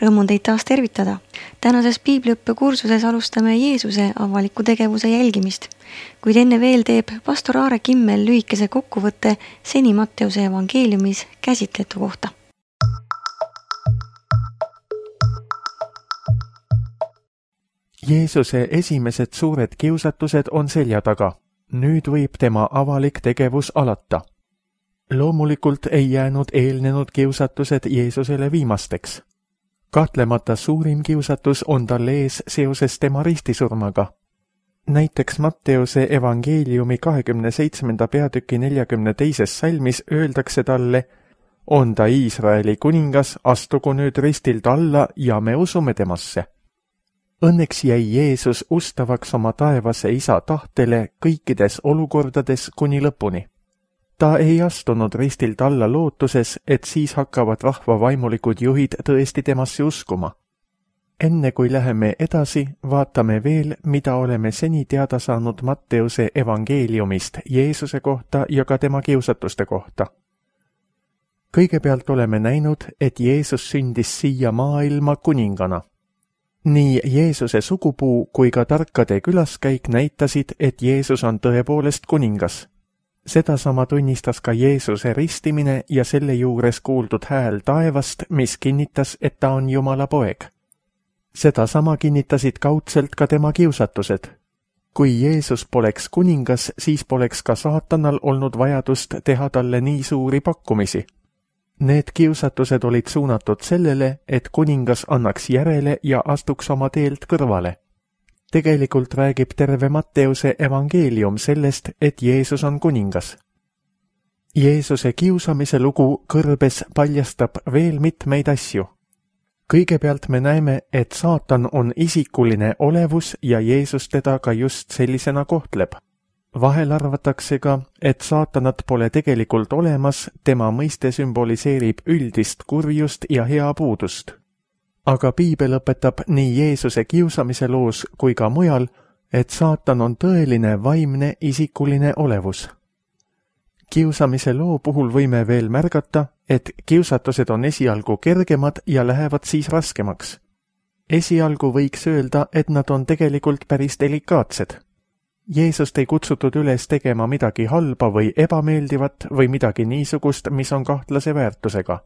Rõõm on teid taas tervitada. Tänases piibliõppekursuses alustame Jeesuse avaliku tegevuse jälgimist, kuid enne veel teeb pastor Aare Kimmel lühikese kokkuvõtte seni Matteuse evangeeliumis käsitletu kohta. Jeesuse esimesed suured kiusatused on selja taga. Nüüd võib tema avalik tegevus alata. Loomulikult ei jäänud eelnenud kiusatused Jeesusele viimasteks. Kahtlemata suurim kiusatus on tal ees seoses tema ristisurmaga. Näiteks Matteuse evangeeliumi 27. peatüki 42. salmis öeldakse talle, on ta Iisraeli kuningas, astugu nüüd ristilt alla ja me usume temasse. Õnneks jäi Jeesus ustavaks oma taevase isa tahtele kõikides olukordades kuni lõpuni. Ta ei astunud ristilt alla lootuses, et siis hakkavad rahva vaimulikud juhid tõesti temasse uskuma. Enne kui läheme edasi, vaatame veel, mida oleme seni teada saanud Matteuse evangeeliumist Jeesuse kohta ja ka tema kiusatuste kohta. Kõigepealt oleme näinud, et Jeesus sündis siia maailma kuningana. Nii Jeesuse sugupuu kui ka tarkade külaskäik näitasid, et Jeesus on tõepoolest kuningas. Sedasama tunnistas ka Jeesuse ristimine ja selle juures kuuldud hääl taevast, mis kinnitas, et ta on Jumala poeg. Sedasama kinnitasid kaudselt ka tema kiusatused. Kui Jeesus poleks kuningas, siis poleks ka saatanal olnud vajadust teha talle nii suuri pakkumisi. Need kiusatused olid suunatud sellele, et kuningas annaks järele ja astuks oma teelt kõrvale. Tegelikult räägib terve Matteuse evangeelium sellest, et Jeesus on kuningas. Jeesuse kiusamise lugu kõrbes paljastab veel mitmeid asju. Kõigepealt me näeme, et saatan on isikuline olevus ja Jeesus teda ka just sellisena kohtleb. Vahel arvatakse ka, et saatanat pole tegelikult olemas, tema mõiste sümboliseerib üldist kurjust ja hea puudust. Aga piibel õpetab nii Jeesuse kiusamise loos kui ka mujal, et saatan on tõeline vaimne isikuline olevus. Kiusamise loo puhul võime veel märgata, et kiusatused on esialgu kergemad ja lähevad siis raskemaks. Esialgu võiks öelda, et nad on tegelikult päris delikaatsed. Jeesust ei kutsutud üles tegema midagi halba või ebameeldivat või midagi niisugust, mis on kahtlase väärtusega.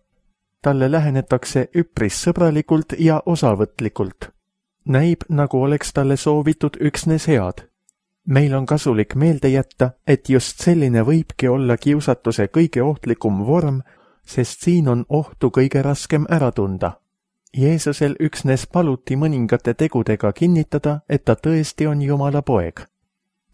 Talle lähenetakse üpris sõbralikult ja osavõtlikult. Näib, nagu oleks talle soovitud üksnes head. Meil on kasulik meelde jätta, et just selline võibki olla kiusatuse kõige ohtlikum vorm, sest siin on ohtu kõige raskem ära tunda. Jeesusel üksnes paluti mõningate tegudega kinnitada, et ta tõesti on Jumala poeg.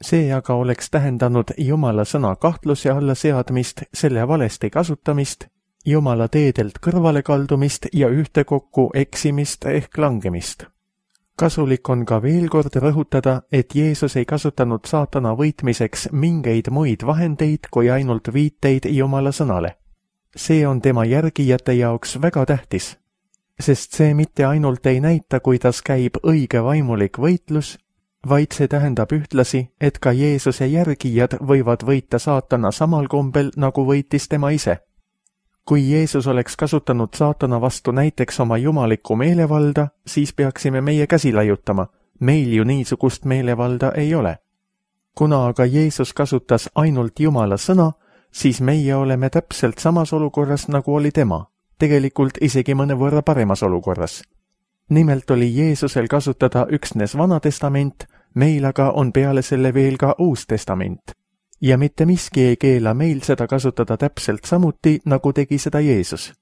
See aga oleks tähendanud Jumala sõna kahtluse alla seadmist, selle valesti kasutamist, Jumala teedelt kõrvale kaldumist ja ühtekokku eksimist ehk langemist. Kasulik on ka veel kord rõhutada, et Jeesus ei kasutanud saatana võitmiseks mingeid muid vahendeid kui ainult viiteid Jumala sõnale. See on tema järgijate jaoks väga tähtis, sest see mitte ainult ei näita, kuidas käib õige vaimulik võitlus, vaid see tähendab ühtlasi, et ka Jeesuse järgijad võivad võita saatana samal kombel, nagu võitis tema ise. Kui Jeesus oleks kasutanud saatana vastu näiteks oma jumalikku meelevalda, siis peaksime meie käsi laiutama. Meil ju niisugust meelevalda ei ole. Kuna aga Jeesus kasutas ainult Jumala sõna, siis meie oleme täpselt samas olukorras, nagu oli tema. Tegelikult isegi mõnevõrra paremas olukorras. Nimelt oli Jeesusel kasutada üksnes Vana Testament, meil aga on peale selle veel ka Uus Testament. Ja mitte miski ei keela meil seda kasutada täpselt samuti, nagu tegi seda Jeesus.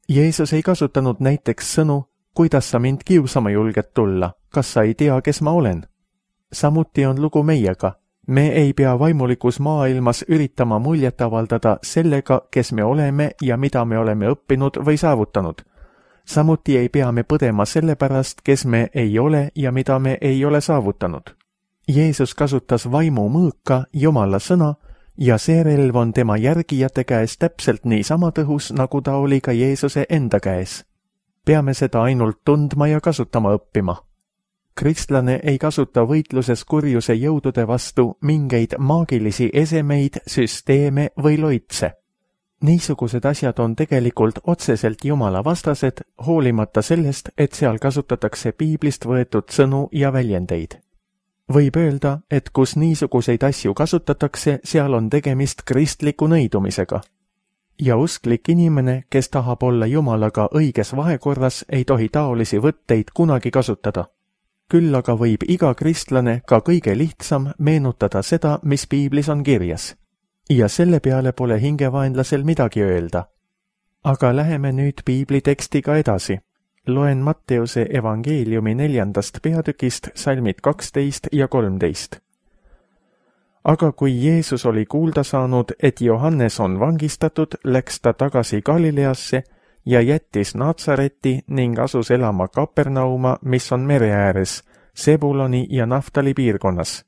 Jeesus ei kasutanud näiteks sõnu, kuidas sa mind kiusama julged tulla, kas sa ei tea, kes ma olen. Samuti on lugu meiega. Me ei pea vaimulikus maailmas üritama muljet avaldada sellega, kes me oleme ja mida me oleme õppinud või saavutanud. Samuti ei pea me põdema selle pärast, kes me ei ole ja mida me ei ole saavutanud. Jeesus kasutas vaimu mõõka, Jumala sõna, ja see relv on tema järgijate käes täpselt nii sama tõhus, nagu ta oli ka Jeesuse enda käes. Peame seda ainult tundma ja kasutama õppima. Kristlane ei kasuta võitluses kurjuse jõudude vastu mingeid maagilisi esemeid, süsteeme või loitse. Niisugused asjad on tegelikult otseselt Jumala vastased, hoolimata sellest, et seal kasutatakse piiblist võetud sõnu ja väljendeid. Võib öelda, et kus niisuguseid asju kasutatakse, seal on tegemist kristliku nõidumisega. Ja usklik inimene, kes tahab olla Jumalaga õiges vahekorras, ei tohi taolisi võtteid kunagi kasutada. Küll aga võib iga kristlane, ka kõige lihtsam, meenutada seda, mis piiblis on kirjas. Ja selle peale pole hingevaenlasel midagi öelda. Aga läheme nüüd piibli tekstiga edasi. Loen Matteuse evangeeliumi 4. peatükist salmid 12 ja 13. Aga kui Jeesus oli kuulda saanud, et Johannes on vangistatud, läks ta tagasi Galileasse ja jättis Natsareti ning asus elama Kapernauma, mis on mere ääres, Sebuloni ja Naftali piirkonnas.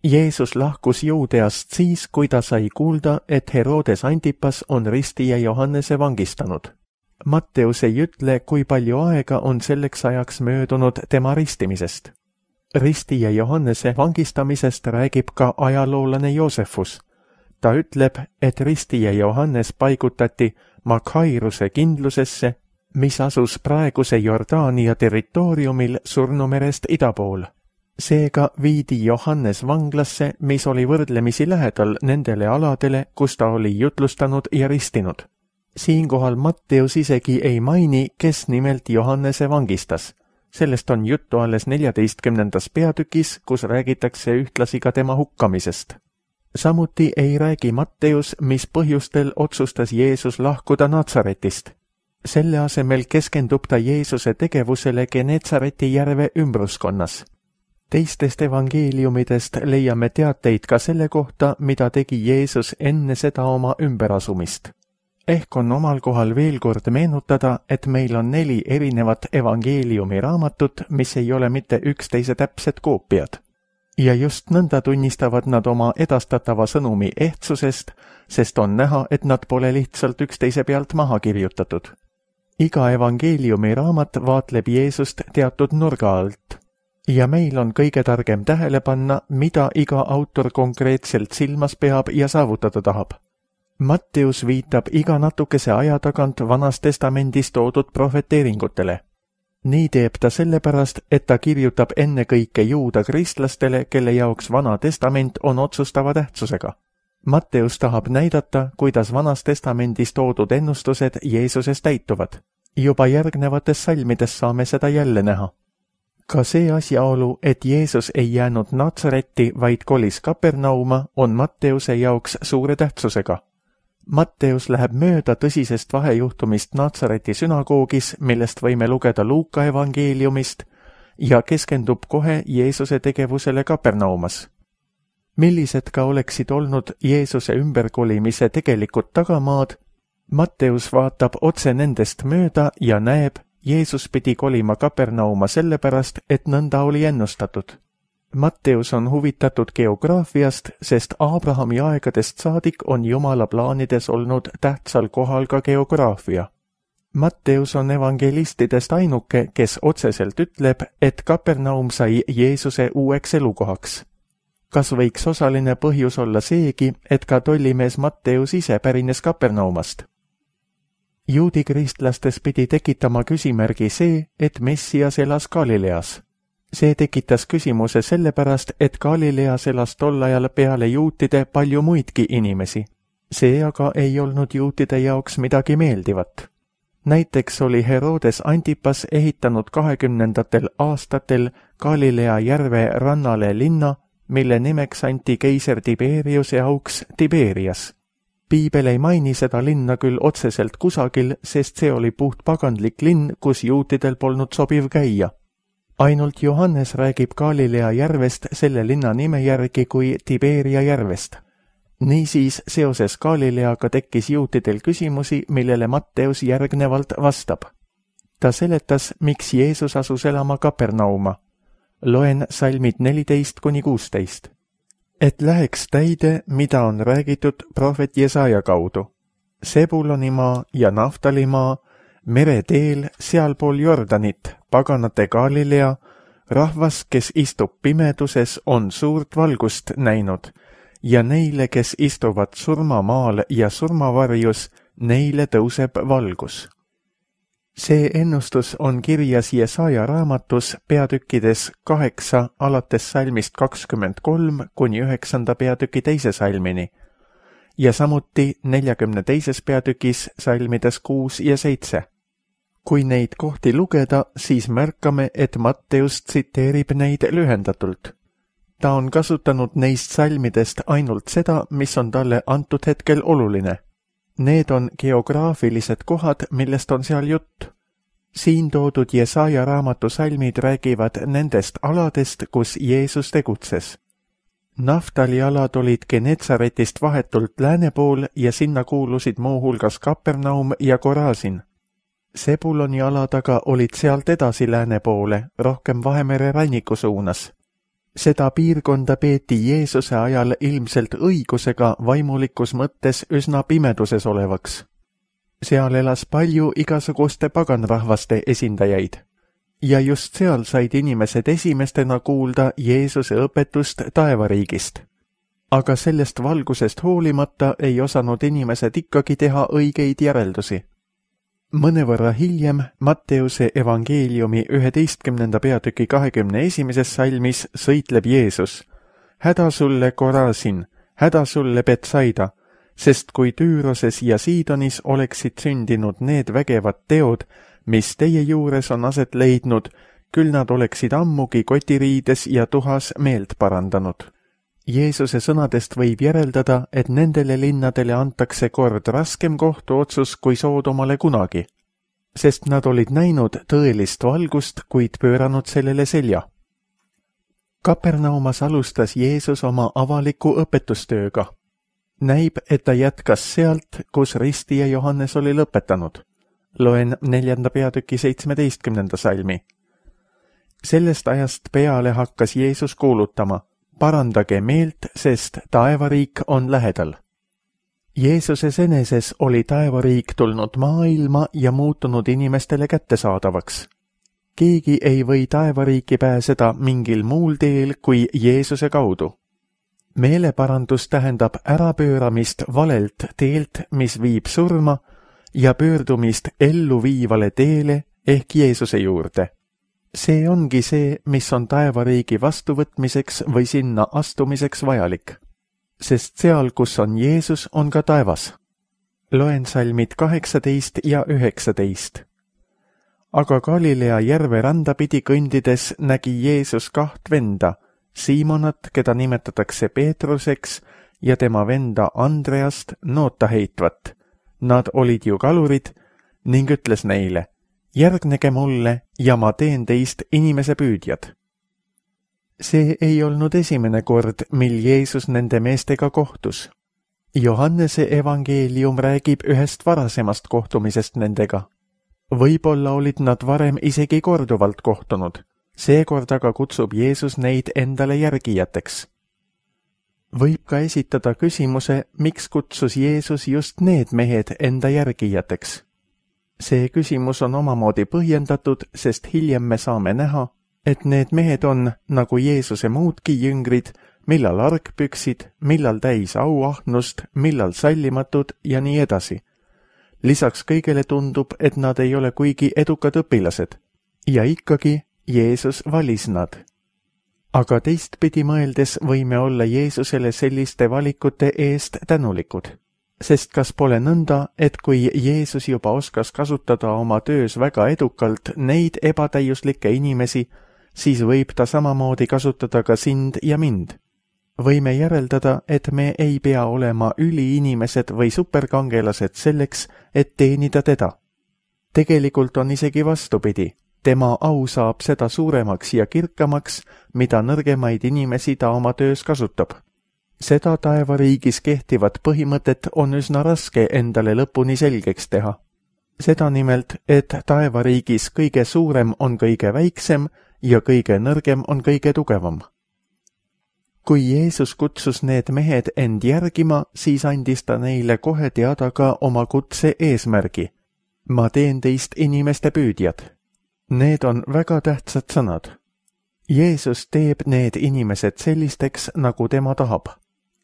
Jeesus lahkus Juudeast siis, kui ta sai kuulda, et Herodes Antipas on ristija Johannese vangistanud. Matteus ei ütle, kui palju aega on selleks ajaks möödunud tema ristimisest. Ristija Johannese vangistamisest räägib ka ajaloolane Joosefus. Ta ütleb, et ristija Johannes paigutati Makhairuse kindlusesse, mis asus praeguse Jordaania territooriumil Surnumerest ida pool. Seega viidi Johannes vanglasse, mis oli võrdlemisi lähedal nendele aladele, kus ta oli jutlustanud ja ristinud. Siinkohal Matteus isegi ei maini, kes nimelt Johannese vangistas. Sellest on juttu alles 14. peatükis, kus räägitakse ühtlasi ka tema hukkamisest. Samuti ei räägi Matteus, mis põhjustel otsustas Jeesus lahkuda Natsaretist. Selle asemel keskendub ta Jeesuse tegevusele Genetsareti järve ümbruskonnas. Teistest evangeeliumidest leiame teateid ka selle kohta, mida tegi Jeesus enne seda oma ümberasumist. Ehk on omal kohal veel kord meenutada, et meil on 4 erinevat evangeeliumi raamatut, mis ei ole mitte üksteise täpsed koopiad. Ja just nõnda tunnistavad nad oma edastatava sõnumi ehtsusest, sest on näha, et nad pole lihtsalt üksteise pealt maha kirjutatud. Iga evangeeliumi raamat vaatleb Jeesust teatud nurga alt. Ja meil on kõige targem tähele panna, mida iga autor konkreetselt silmas peab ja saavutada tahab. Matteus viitab iga natukese aja tagant Vanas Testamendis toodud prohveteeringutele. Nii teeb ta sellepärast, et ta kirjutab ennekõike juuda kristlastele, kelle jaoks Vana Testament on otsustava tähtsusega. Matteus tahab näidata, kuidas Vanas Testamendis toodud ennustused Jeesuses täituvad. Juba järgnevates salmides saame seda jälle näha. Ka see asjaolu, et Jeesus ei jäänud Natsaretti, vaid kolis Kapernauma, on Matteuse jaoks suure tähtsusega. Matteus läheb mööda tõsisest vahejuhtumist Natsareti sünagoogis, millest võime lugeda Luuka evangeeliumist, ja keskendub kohe Jeesuse tegevusele Kapernaumas. Millised ka oleksid olnud Jeesuse ümberkolimise tegelikud tagamaad, Matteus vaatab otse nendest mööda ja näeb, Jeesus pidi kolima Kapernauma sellepärast, et nõnda oli ennustatud. Matteus on huvitatud geograafiast, sest Abrahami aegadest saadik on Jumala plaanides olnud tähtsal kohal ka geograafia. Matteus on evangelistidest ainuke, kes otseselt ütleb, et Kapernaum sai Jeesuse uueks elukohaks. Kas võiks osaline põhjus olla seegi, et ka tollimees Matteus ise pärines Kapernaumast? Juudi kristlastes pidi tekitama küsimärgi see, et Messias elas Galileas. See tekitas küsimuse sellepärast, et Galileas elas tol ajal peale juutide palju muidki inimesi. See aga ei olnud juutide jaoks midagi meeldivat. Näiteks oli Herodes Antipas ehitanud 20. aastatel Galilea järve rannale linna, mille nimeks anti keiser Tiberiuse auks Tiberias. Piibel ei maini seda linna küll otseselt kusagil, sest see oli puht pagandlik linn, kus juutidel polnud sobiv käia. Ainult Johannes räägib Galilea järvest selle linna nime järgi kui Tiberia järvest. Niisiis, seoses Galileaga tekkis juutidel küsimusi, millele Matteus järgnevalt vastab. Ta seletas, miks Jeesus asus elama Kapernauma. Loen salmid 14-16. Et läheks täide, mida on räägitud prohvet Jesaja kaudu. Sebulonimaa ja Naftalimaa, mereteel sealpool Jordanit, paganate Galilea, rahvas, kes istub pimeduses, on suurt valgust näinud, ja neile, kes istuvad surmamaal ja surmavarjus, neile tõuseb valgus. See ennustus on kirjas Jesaja raamatus peatükkides 8 alates salmist 23 kuni 9. peatüki 2. salmini ja samuti 42. peatükis salmides 6 ja 7. Kui neid kohti lugeda, siis märkame, et Matteus tsiteerib neid lühendatult. Ta on kasutanud neist salmidest ainult seda, mis on talle antud hetkel oluline. Need on geograafilised kohad, millest on seal jutt. Siin toodud Jesaja raamatu salmid räägivad nendest aladest, kus Jeesus tegutses. Naftali alad olid Genetsaretist vahetult lääne pool ja sinna kuulusid muuhulgas Kapernaum ja Korasin. Sebuloni alad aga olid sealt edasi lääne poole, rohkem Vahemere ranniku suunas. Seda piirkonda peeti Jeesuse ajal ilmselt õigusega vaimulikus mõttes üsna pimeduses olevaks. Seal elas palju igasuguste paganrahvaste esindajaid. Ja just seal said inimesed esimestena kuulda Jeesuse õpetust taevariigist. Aga sellest valgusest hoolimata ei osanud inimesed ikkagi teha õigeid järeldusi. Mõnevõrra hiljem Matteuse evangeeliumi 11. peatüki 21. salmis sõitleb Jeesus. Häda sulle Korasin, häda sulle Betsaida, sest kui Tüüroses ja Siidonis oleksid sündinud need vägevad teod, mis teie juures on aset leidnud, küll nad oleksid ammugi kotiriides ja tuhas meelt parandanud. Jeesuse sõnadest võib järeldada, et nendele linnadele antakse kord raskem kohtuotsus kui Soodomale kunagi, sest nad olid näinud tõelist valgust, kuid pööranud sellele selja. Kapernaumas alustas Jeesus oma avaliku õpetustööga. Näib, et ta jätkas sealt, kus ristija Johannes oli lõpetanud. Loen 4. peatüki 17. salmi. Sellest ajast peale hakkas Jeesus kuulutama: parandage meelt, sest taevariik on lähedal. Jeesuses eneses oli taevariik tulnud maailma ja muutunud inimestele kättesaadavaks. Keegi ei või taevariiki pääseda mingil muul teel kui Jeesuse kaudu. Meeleparandus tähendab ärapööramist valelt teelt, mis viib surma, ja pöördumist ellu viivale teele ehk Jeesuse juurde. See ongi see, mis on taevariigi vastuvõtmiseks või sinna astumiseks vajalik. Sest seal, kus on Jeesus, on ka taevas. Loen salmid 18 ja 19. Aga Galilea järve randa pidi kõndides nägi Jeesus 2 venda, Siimonat, keda nimetatakse Peetruseks, ja tema venda Andreast noota heitvat. Nad olid ju kalurid, ning ütles neile: järgnege mulle ja ma teen teist inimese püüdjad. See ei olnud esimene kord, mil Jeesus nende meestega kohtus. Johannese evangeelium räägib ühest varasemast kohtumisest nendega. Võib-olla olid nad varem isegi korduvalt kohtunud, seekord aga kutsub Jeesus neid endale järgijateks. Võib ka esitada küsimuse, miks kutsus Jeesus just need mehed enda järgijateks. See küsimus on omamoodi põhjendatud, sest hiljem me saame näha, et need mehed on, nagu Jeesuse muudki jüngrid, millal argpüksid, millal täis auahnust, millal sallimatud ja nii edasi. Lisaks kõigele tundub, et nad ei ole kuigi edukad õpilased. Ja ikkagi Jeesus valis nad. Aga teistpidi mõeldes võime olla Jeesusele selliste valikute eest tänulikud. Sest kas pole nõnda, et kui Jeesus juba oskas kasutada oma töös väga edukalt neid ebatäiuslikke inimesi, siis võib ta samamoodi kasutada ka sind ja mind. Võime järeldada, et me ei pea olema üliinimesed või superkangelased selleks, et teenida teda. Tegelikult on isegi vastupidi. Tema au saab seda suuremaks ja kirkamaks, mida nõrgemaid inimesi ta oma töös kasutab. Seda taevariigis kehtivat põhimõtet on üsna raske endale lõpuni selgeks teha. Seda nimelt, et taevariigis kõige suurem on kõige väiksem ja kõige nõrgem on kõige tugevam. Kui Jeesus kutsus need mehed end järgima, siis andis ta neile kohe teada ka oma kutse eesmärgi. Ma teen teist inimeste püüdjad. Need on väga tähtsad sõnad. Jeesus teeb need inimesed sellisteks, nagu tema tahab.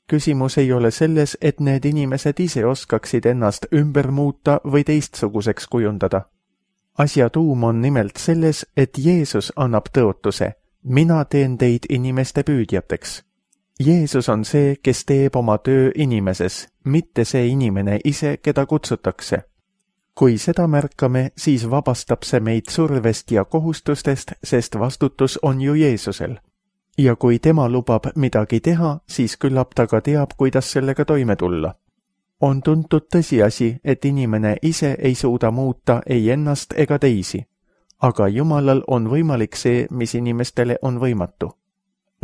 Küsimus ei ole selles, et need inimesed ise oskaksid ennast ümber muuta või teistsuguseks kujundada. Asja tuum on nimelt selles, et Jeesus annab tõotuse: mina teen teid inimeste püüdjateks. Jeesus on see, kes teeb oma töö inimeses, mitte see inimene ise, keda kutsutakse. Kui seda märkame, siis vabastab see meid survest ja kohustustest, sest vastutus on ju Jeesusel. Ja kui tema lubab midagi teha, siis küllap ta ka teab, kuidas sellega toime tulla. On tuntud tõsiasi, et inimene ise ei suuda muuta ei ennast ega teisi, aga Jumalal on võimalik see, mis inimestele on võimatu.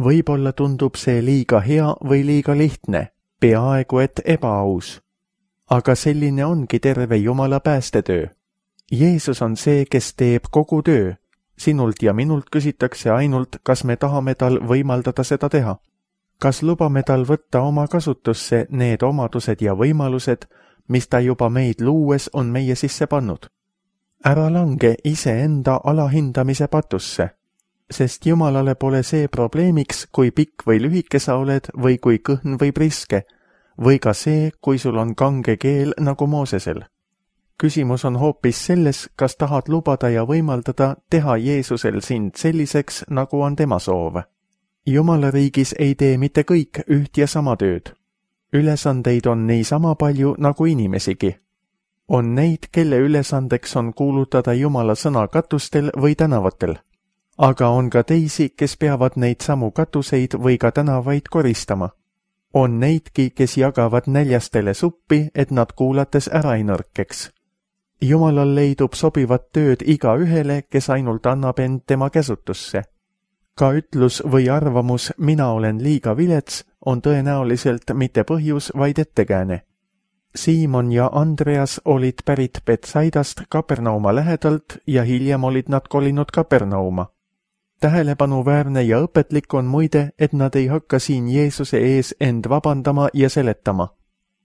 Võib-olla tundub see liiga hea või liiga lihtne, peaaegu et ebaaus. Aga selline ongi terve Jumala päästetöö. Jeesus on see, kes teeb kogu töö. Sinult ja minult küsitakse ainult, kas me tahame tal võimaldada seda teha. Kas lubame tal võtta oma kasutusse need omadused ja võimalused, mis ta juba meid luues on meie sisse pannud? Ära lange iseenda alahindamise patusse, sest Jumalale pole see probleemiks, kui pikk või lühike sa oled või kui kõhn või priske, või ka see, kui sul on kange keel nagu Moosesel. Küsimus on hoopis selles, kas tahad lubada ja võimaldada teha Jeesusel sind selliseks, nagu on tema soov. Jumala riigis ei tee mitte kõik üht ja sama tööd. Ülesandeid on niisama palju nagu inimesigi. On neid, kelle ülesandeks on kuulutada Jumala sõna katustel või tänavatel. Aga on ka teisi, kes peavad neid samu katuseid või ka tänavaid koristama. On neidki, kes jagavad näljastele suppi, et nad kuulates ära ei nõrkeks. Jumalal leidub sobivat tööd igaühele, kes ainult annab end tema käsutusse. Ka ütlus või arvamus mina olen liiga vilets on tõenäoliselt mitte põhjus, vaid ettekääne. Siimon ja Andreas olid pärit Betsaidast Kapernauma lähedalt ja hiljem olid nad kolinud Kapernauma. Tähelepanuväärne ja õpetlik on muide, et nad ei hakka siin Jeesuse ees end vabandama ja seletama.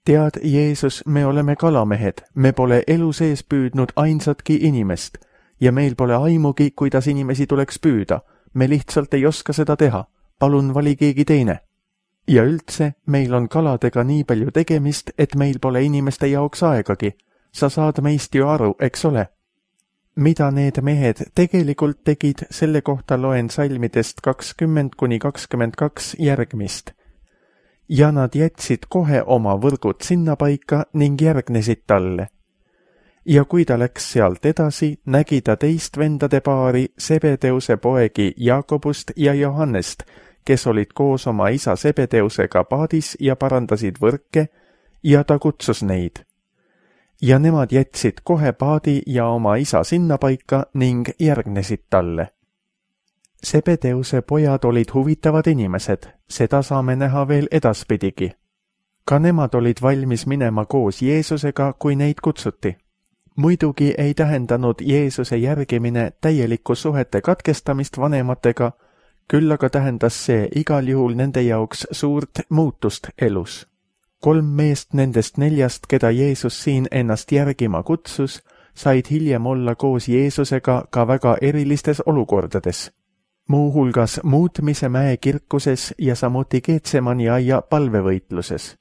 Tead, Jeesus, me oleme kalamehed, me pole elu sees püüdnud ainsatki inimest ja meil pole aimugi, kuidas inimesi tuleks püüda. Me lihtsalt ei oska seda teha. Palun vali keegi teine. Ja üldse, meil on kaladega nii palju tegemist, et meil pole inimeste jaoks aegagi. Sa saad meist ju aru, eks ole? Mida need mehed tegelikult tegid, selle kohta loen salmidest 20–22 järgmist. Ja nad jätsid kohe oma võrgud sinna paika ning järgnesid talle. Ja kui ta läks sealt edasi, nägi ta teist vendade paari, Sebedeuse poegi Jaakobust ja Johannest, kes olid koos oma isa Sebedeusega paadis ja parandasid võrke, ja ta kutsus neid. Ja nemad jätsid kohe paadi ja oma isa sinna paika ning järgnesid talle. Sebedeuse pojad olid huvitavad inimesed, seda saame näha veel edaspidigi. Ka nemad olid valmis minema koos Jeesusega, kui neid kutsuti. Muidugi ei tähendanud Jeesuse järgimine täielikku suhete katkestamist vanematega, küll aga tähendas see igal juhul nende jaoks suurt muutust elus. 3 meest nendest 4, keda Jeesus siin ennast järgima kutsus, said hiljem olla koos Jeesusega ka väga erilistes olukordades. Muuhulgas Muutmise mäe kirkuses ja samuti Getsemani aia palvevõitluses.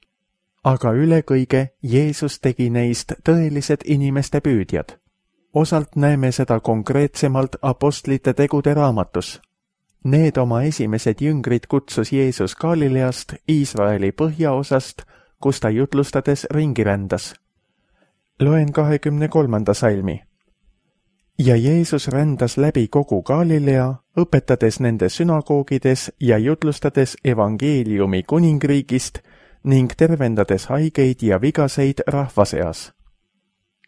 Aga üle kõige Jeesus tegi neist tõelised inimeste püüdjad. Osalt näeme seda konkreetsemalt apostlite tegude raamatus. Need oma esimesed jüngrid kutsus Jeesus Galileast, Iisraeli põhjaosast, kus ta jutlustades ringi rändas. Loen 23. salmi. Ja Jeesus rändas läbi kogu Galilea, õpetades nende sünagoogides ja jutlustades evangeeliumi kuningriigist ning tervendades haigeid ja vigaseid rahva seas.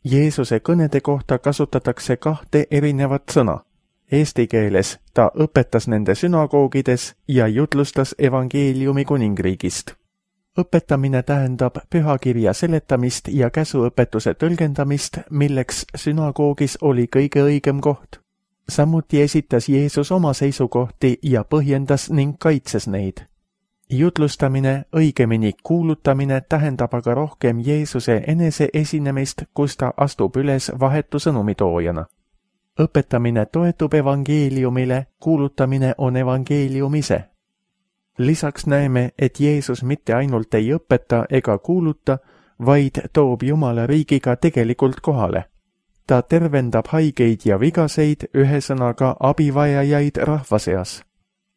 Jeesuse kõnede kohta kasutatakse 2 erinevat sõna. Eesti keeles ta õpetas nende sünagoogides ja jutlustas evangeeliumi kuningriigist. Õpetamine tähendab pühakirja seletamist ja käsuõpetuse tõlgendamist, milleks sünagoogis oli kõige õigem koht. Samuti esitas Jeesus oma seisukohti ja põhjendas ning kaitses neid. Jutlustamine, õigemini kuulutamine tähendab aga rohkem Jeesuse enese esinemist, kus ta astub üles vahetu sõnumitoojana. Õpetamine toetub evangeeliumile, kuulutamine on evangeelium ise. Lisaks näeme, et Jeesus mitte ainult ei õpeta ega kuuluta, vaid toob Jumala riigiga tegelikult kohale. Ta tervendab haigeid ja vigaseid, ühesõnaga abivajajaid rahva seas.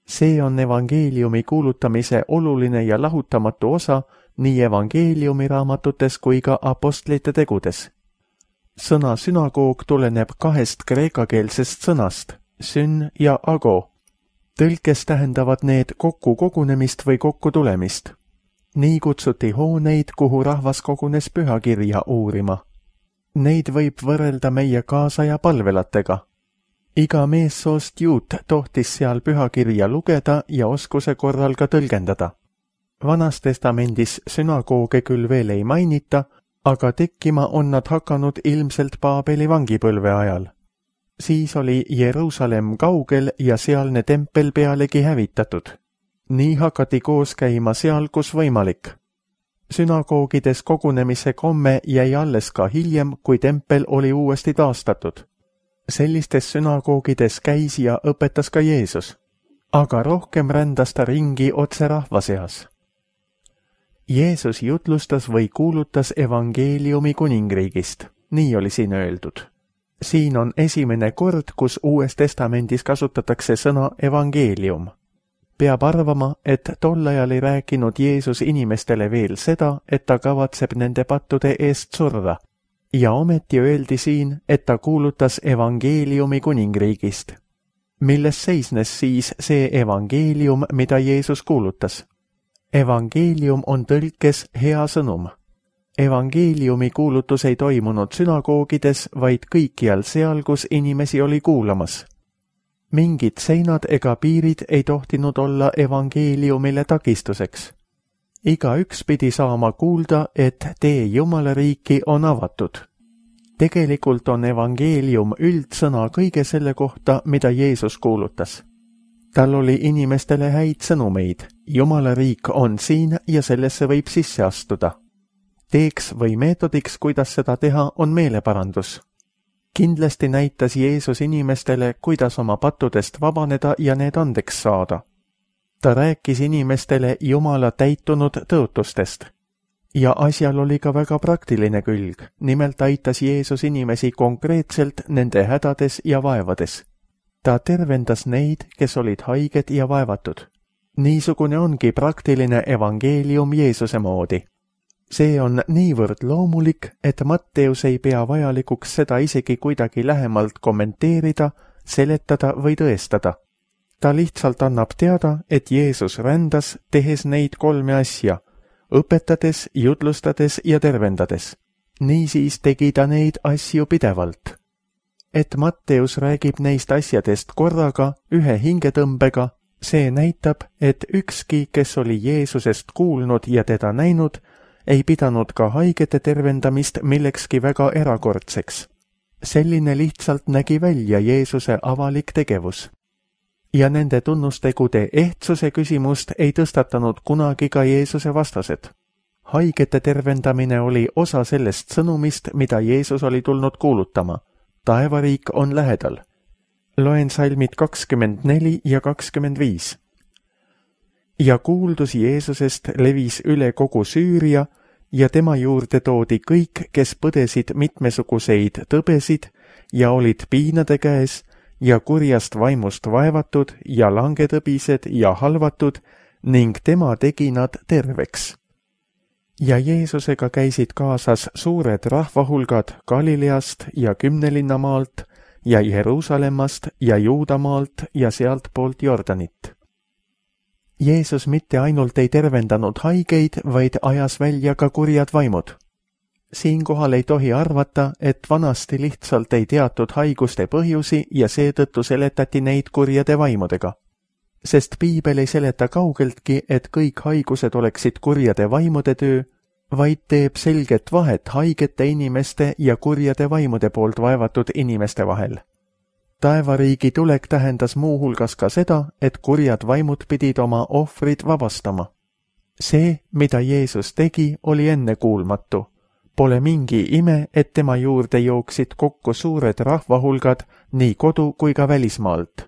See on evangeeliumi kuulutamise oluline ja lahutamatu osa nii evangeeliumi raamatutes kui ka apostlite tegudes. Sõna sünagoog tuleneb 2 kreekakeelsest sõnast, syn ja ago. Tõlkes tähendavad need kokku kogunemist või kokku tulemist. Nii kutsuti hooneid, kuhu rahvas kogunes pühakirja uurima. Neid võib võrrelda meie kaasaja palvelatega. Iga meessoost juut tohtis seal pühakirja lugeda ja oskuse korral ka tõlgendada. Vanas testamendis sünagooge küll veel ei mainita, aga tekkima on nad hakanud ilmselt Paabeli vangipõlve ajal. Siis oli Jeruusalemm kaugel ja sealne tempel pealegi hävitatud. Nii hakati koos käima seal, kus võimalik. Sünagoogides kogunemise komme jäi alles ka hiljem, kui tempel oli uuesti taastatud. Sellistes sünagoogides käis ja õpetas ka Jeesus, aga rohkem rändas ta ringi otse rahva seas. Jeesus jutlustas või kuulutas evangeeliumi kuningriigist, nii oli siin öeldud. Siin on esimene kord, kus Uues Testamendis kasutatakse sõna evangeelium. Peab arvama, et tol ajal ei rääkinud Jeesus inimestele veel seda, et ta kavatseb nende pattude eest surra. Ja ometi öeldi siin, et ta kuulutas evangeeliumi kuningriigist. Milles seisnes siis see evangeelium, mida Jeesus kuulutas? Evangeelium on tõlkes hea sõnum. Evangeeliumi kuulutus ei toimunud sünagoogides, vaid kõikjal seal, kus inimesi oli kuulamas. Mingid seinad ega piirid ei tohtinud olla evangeeliumile takistuseks. Igaüks pidi saama kuulda, et tee Jumala riiki on avatud. Tegelikult on evangeelium üldsõna kõige selle kohta, mida Jeesus kuulutas. Tal oli inimestele häid sõnumeid. Jumala riik on siin ja sellesse võib sisse astuda. Teeks või meetodiks, kuidas seda teha, on meeleparandus. Kindlasti näitas Jeesus inimestele, kuidas oma pattudest vabaneda ja need andeks saada. Ta rääkis inimestele Jumala täitunud tõotustest. Ja asjal oli ka väga praktiline külg, nimelt aitas Jeesus inimesi konkreetselt nende hädades ja vaevades. Ta tervendas neid, kes olid haiged ja vaevatud. Niisugune ongi praktiline evangeelium Jeesuse moodi. See on niivõrd loomulik, et Matteus ei pea vajalikuks seda isegi kuidagi lähemalt kommenteerida, seletada või tõestada. Ta lihtsalt annab teada, et Jeesus rändas, tehes neid 3 asja, õpetades, jutlustades ja tervendades. Niisiis tegi ta neid asju pidevalt. Et Matteus räägib neist asjadest korraga, ühe hingetõmbega, see näitab, et ükski, kes oli Jeesusest kuulnud ja teda näinud, ei pidanud ka haigete tervendamist millekski väga erakordseks. Selline lihtsalt nägi välja Jeesuse avalik tegevus. Ja nende tunnustegude ehtsuse küsimust ei tõstatanud kunagi ka Jeesuse vastased. Haigete tervendamine oli osa sellest sõnumist, mida Jeesus oli tulnud kuulutama. Taevariik on lähedal. Loen salmid 24 ja 25. Ja kuuldus Jeesusest levis üle kogu Süüria ja tema juurde toodi kõik, kes põdesid mitmesuguseid tõbesid ja olid piinade käes ja kurjast vaimust vaevatud ja langetõbised ja halvatud ning tema tegi nad terveks. Ja Jeesusega käisid kaasas suured rahvahulgad Galileast ja Kümnelinnamaalt ja Jeruusalemmast ja Juudamaalt ja sealt poolt Jordanit. Jeesus mitte ainult ei tervendanud haigeid, vaid ajas välja ka kurjad vaimud. Siinkohal ei tohi arvata, et vanasti lihtsalt ei teatud haiguste põhjusi ja seetõttu seletati neid kurjade vaimudega. Sest Piibel ei seleta kaugeltki, et kõik haigused oleksid kurjade vaimude töö, vaid teeb selget vahet haigete inimeste ja kurjade vaimude poolt vaevatud inimeste vahel. Taevariigi tulek tähendas muuhulgas ka seda, et kurjad vaimud pidid oma ohvrid vabastama. See, mida Jeesus tegi, oli ennekuulmatu. Pole mingi ime, et tema juurde jooksid kokku suured rahvahulgad nii kodu kui ka välismaalt.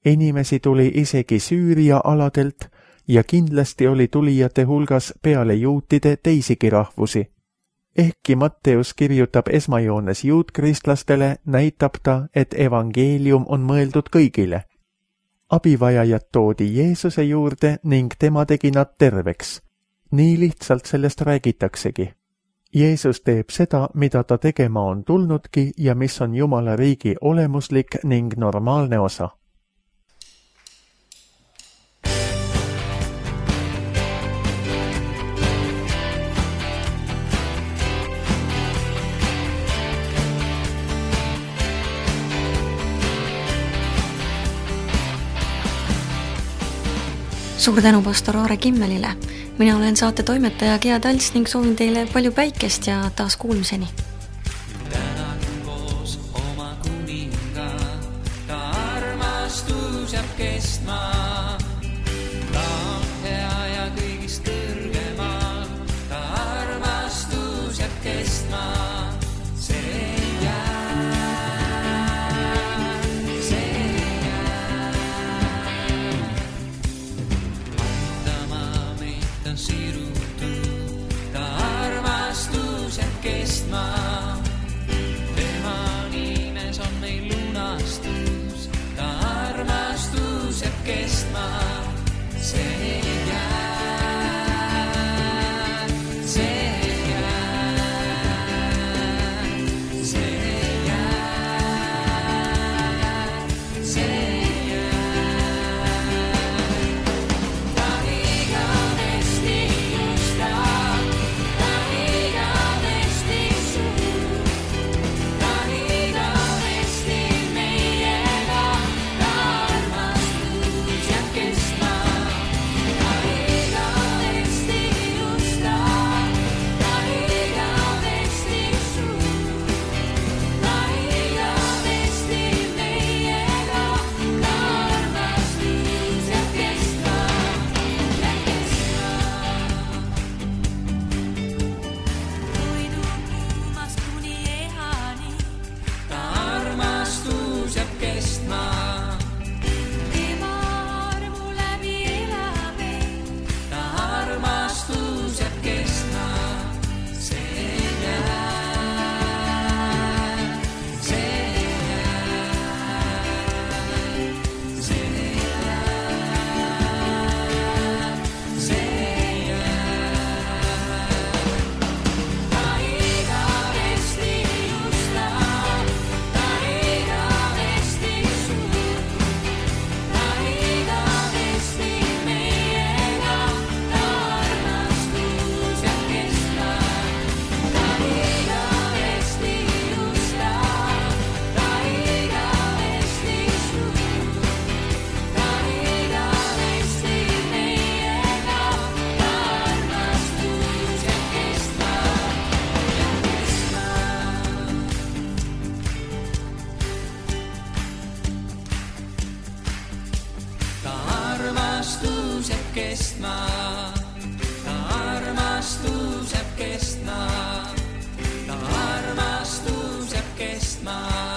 Inimesi tuli isegi Süüria aladelt ja kindlasti oli tulijate hulgas peale juutide teisigi rahvusi. Ehkki Matteus kirjutab esmajoones juutkristlastele, näitab ta, et evangeelium on mõeldud kõigile. Abivajajad toodi Jeesuse juurde ning tema tegi nad terveks. Nii lihtsalt sellest räägitaksegi. Jeesus teeb seda, mida ta tegema on tulnudki ja mis on Jumala riigi olemuslik ning normaalne osa. Suur tänu pastor Aare Kimmelile. Mina olen saate toimetaja Gea Talts ning soovin teile palju päikest ja taas kuulmiseni. Tänan koos oma kuninga, ta armastus jääb kestma. Ta on hea ja kõigist kõrgemal, ta armastus jääb kestma. Tema nimes on meil lunastus, ta armastus jääb kestma. See jääb, see jääb, see jääb, see jääb. Ta igavesti justab, ta igavesti suur, ta igavesti meiega, ta armastus jääb kestma. Ta igavesti justab, ta igavesti suur, ta igavesti meiega, ta armastus jääb kestma, jääb kestma. Toidub kuumast kuni ehani, ta armastus jääb kestma. Tema armu läbi elame, ta armastus jääb kestma. See jääb, see jääb, see jääb, see jääb. Ta igavesti justab, ta igavesti suur, ta igavesti meiega, ta armastus jääb kestma. Ta igavesti justab, ta igavesti suur, ta igavesti meiega, ta armastus jääb kestma, jääb kestma. Ta armastus jääb kestma, ta armastus jääb kestma, ta armastus jääb kestma.